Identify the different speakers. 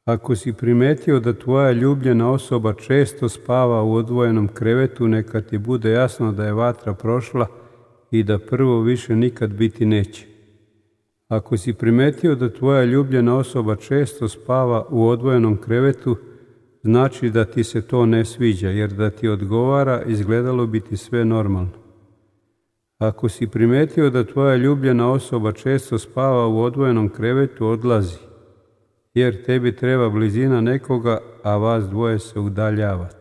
Speaker 1: Ako si primetio da tvoja ljubljena osoba često spava u odvojenom krevetu, neka ti bude jasno da je vatra prošla i da prvo više nikad biti neće. Ako si primetio da tvoja ljubljena osoba često spava u odvojenom krevetu, znači da ti se to ne sviđa, jer da ti odgovara, izgledalo bi ti sve normalno. Ako si primetio da tvoja ljubljena osoba često spava u odvojenom krevetu, odlazi, jer tebi treba blizina nekoga, a vas dvoje se udaljavate.